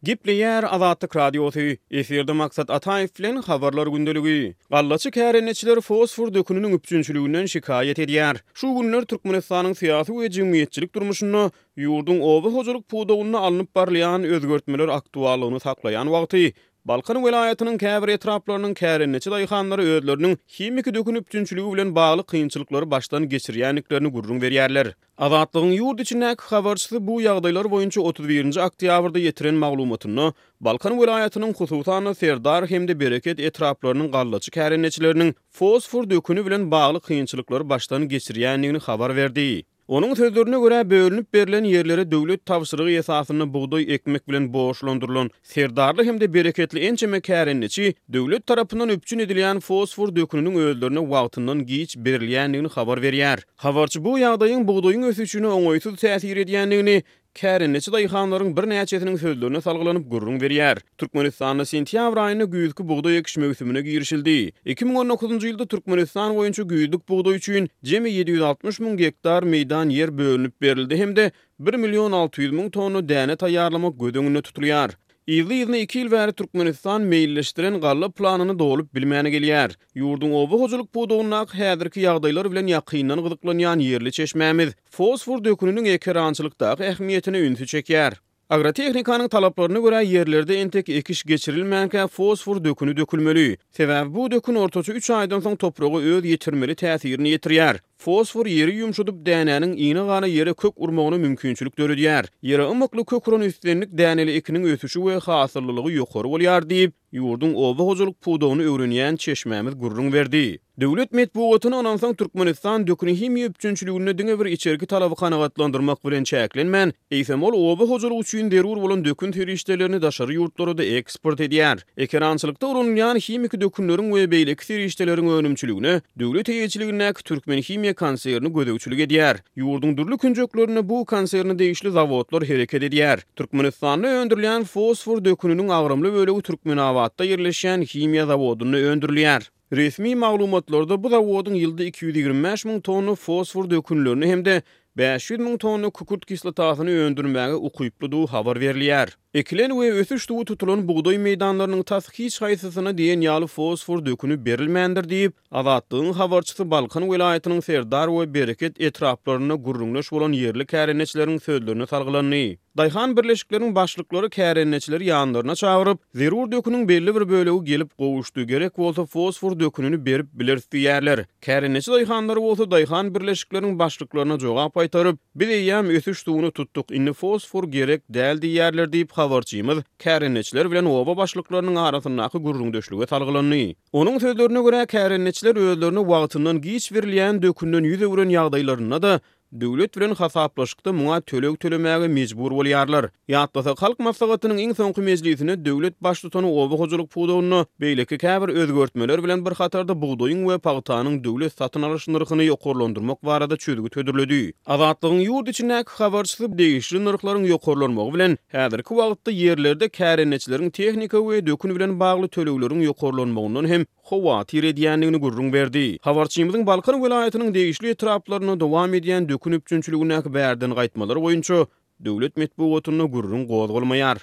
Gepleýär Azatlyk Radiosy, Efirde Maksat Ataýew bilen Habarlar gündeligi. Gallaçy kärendeçiler fosfor döküniniň üpjünçiliginden şikaýat edýär. Şu günler Türkmenistanyň syýasy we jemgyýetçilik durmuşynda ýurduň oba hojalyk pudagynda alnyp barylýan özgertmeler aktuallygyny saklaýan wagty, Balkan welaýatynyň käbir etraplarynyň kärendeçi daýhanlary özleriniň himiki dökün üpjünçiligi bilen bagly kynçylyklary başdan geçirýändiklerini gürrüň berýärler. Azatlygyň ýurt içindäki habarçysy bu ýagdaýlar boýunça 31-nji oktýabrda ýetiren maglumatynda, Balkan welaýatynyň, hususan-da, Serdar hem-de Bereket etraplarynyň gallaçy kärendeçileriniň fosfor döküni bilen bagly kynçylyklary başdan geçirýändigini habar berdi. Onuň sözlerine görä, bölünip berlen ýerlere döwlet tabşyrygy esasynda bugdaý ekmek bilen borçlandyrylan Serdarly hem-de Bereketli ençeme kärendeçi döwlet tarapyndan üpjün edilýän fosfor döküniniň özlerine wagtyndan giç berilýändigini habar berýär. Habarçy bu ýagdaýyň bugdaýyň ösüşine oňaýsyz täsir edýändigini kärendeçi daýhanlaryň birnäçesiniň sözlerine salgylanyp gürrüň berýär. Türkmenistanda sentýabr aýynda güýzki bugdaý ekiş möwsümine girişildi. 2019-njy ýylda Türkmenistan boýunça güýzlük bugdaý üçin jemi 760 müň gektar meýdan ýer bölünip berildi hem-de bir million 600 müň tonna däne taýýarlamak göz öňünde tutulýar. Yzly-yzyna iki ýyl bäri Türkmenistan meýilleşdiren galla planyny dolup bilmän gelýär. Ýurduň oba hojalyk pudagyndaky häzirki ýagdaýlar bilen ýakyndan gyzyklanýan ýerli çeşmämiz fosfor döküniniň ekerançylykdaky ähmiýetine ünsi çekýär. Agrotehnikanyň talaplaryna görä, ýerlerde entek ekiş geçirilmänkä fosfor döküni dökülmeli. Sebäbi bu dökün ortaça üç aýdan soň topraga öz ýetirmeli täsirini ýetirýär. Fosfor ýeri ýumşadyp, dänäniň ine-gana ýere kök urmagyna mümkinçilik döredýär. Ýere ymykly kök uran islendik däneli ekiniň ösüşi we hasyllylygy ýokary bolýar diýip, ýurduň oba hojalyk pudagyny öwrenýän çeşmämiz gürrüň berdi. Döwlet metbugatyna ynansaň, Türkmenistan dökün-himiýa üpjünçiliginde diňe bir içerki talaby kanagatlandyrmak bilen çäklenmän, eýsem ol oba hojalygy üçin zerur bolan dökün serişdelerini daşary ýurtlara-da eksport edýär. Ekerançylykda ulanylýan himiki dökünleriň we beýleki serişdeleriň önümçiligine döwlet eýeçiligindäki Türkmenhimiýa konserni gözegçilik edýär. Ýurduň dürli künjeklerinde bu konserne degişli zawodlar hereket edýär. Türkmenistanda öndürilýän fosfor döküniniň agramly bölegi Türkmenabatda ýerleşýän himiýa zawodynda öndürilýär. Resmi maglumatlarda bu zawodyň ýylda 225 müň tonna fosfor dökünlerini hem-de 500 müň tonna kükürt kislotasyny öndürmäge ukyplydygy habar berilýär. Ekilen we ösüş suwy tutulan bugdaý meýdanlarynyň tas hiç haýsysyna diýen ýaly fosfor döküni berilmändir diýip, Azatlygyň habarçysy Balkan welaýatynyň Serdar we Bereket etraplarynda gürrüňdeş bolan ýerli kärendeçileriň sözlerine salgylandy. Daýhan birleşikleriň başlyklary kärendeçileri ýanlaryna çagyryp, zerur döküniň belli bir bölegi gelip gowuşdy, gerek bolsa fosfor dökünini berip bileris diýýärler. Kärendeçi daýhanlary bolsa daýhan birleşikleriň başlyklaryna jogap gaýtaryp, Biz eýýäm ösüş suwuny tutduk, indi fosfor gerek däl diýýärler diýip, habarçymyz kärendeçiler bilen oba başlyklarynyň arasyndaky gürrüňdeşlige salgylandy. Onuň sözlerine görä, kärendeçiler özlerine wagtyndan giç berilýän dökünden ýüz öwren ýagdaýlarynda-da, döwlet bilen hasaplaşykda muňa töleg tölemäge mejbur bolýarlar. Ýatlasak, Halk Maslahatynyň iň soňky mejlisinde döwlet Baştutany oba hojalyk pudagynda beýleki käbir özgertmeler bilen bir hatarda bugdaýyň we pagtanyň döwlet satyn alyş nyrhyny ýokarlandyrmak barada çözgüt hödürledi. Azatlygyň ýurt içindäki habarçysy degişli nyrhlaryň ýokarlanmagy bilen, häzirki wagtda ýerlerde kärendeçileriň tehnika we dökün bilen bagly tölegleriň ýokarlanmagyndan hem howatyr edýändigini gürrüň berdi. Habarçymyzyň Balkan welaýatynyň degişli etraplarynda dowam edýän dökün üpjünçiligindäki bärden gaýtmalar boýunça döwlet metbugatynda gürrüň gozgalmaýar.